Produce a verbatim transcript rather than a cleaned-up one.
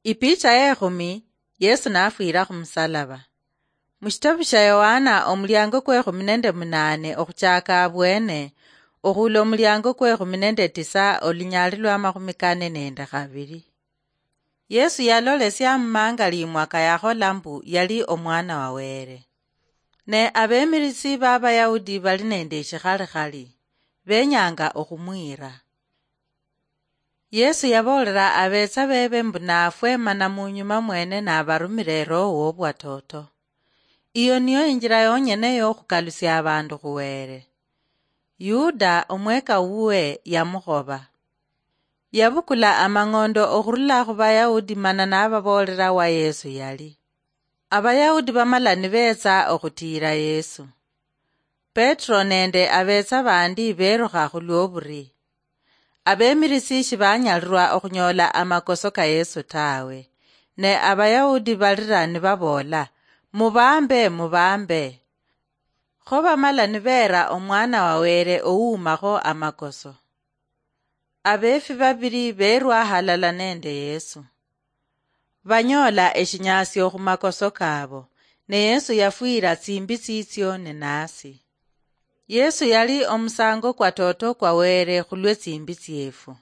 Ipicha yekhumi. Yesu nafwira khumusalaba. Mushitabu sha Yohana, omuliango kwekhumi nende munane okhuchaka abwene, okhula omuliango kwekhumi nende tisa, olunyali lwa makhumi kane nende khabiri. Yesu yalolesia mumangali imwaka yakhola mbu yali omwana wa Were. Ne abemirisi b'Abayahudi bali nende eshikhalikhali, benyanga okhumwira. Yesu yaboolera abetsa bebe mbu nafwe mana munyuma mwene nabarumira eroho wobwatoto. Iyo niyo injira yonyene yokhukalusia abandu khuwere. Yuda, omweka wuwe, yamukhoba. Yabukula amang'ondo okhurula khu Bayahudi mana nababoolera wa Yesu yali. Abayahudi bamala nibetsa okhutiira Yesu. Petro nende abetsa bandi berukha khulwoburi. Abemirisi shibanyalirwa okhunyola amakoso ka Yesu tawe. Ne Abayahudi balira nibaboola, "Mubambe, mubambe!" Kho bamala nibeera omwana wa Were owuumakho amakoso. Abeefi babiri beerwa halala nende Yesu. Banyoola eshinyasio khumakoso kaabo, ne Yesu yafwira tsimbi tsitsio ninasi. Yesu yali omusango kwa toto kwa Were khulwe tsimbi tsiefu.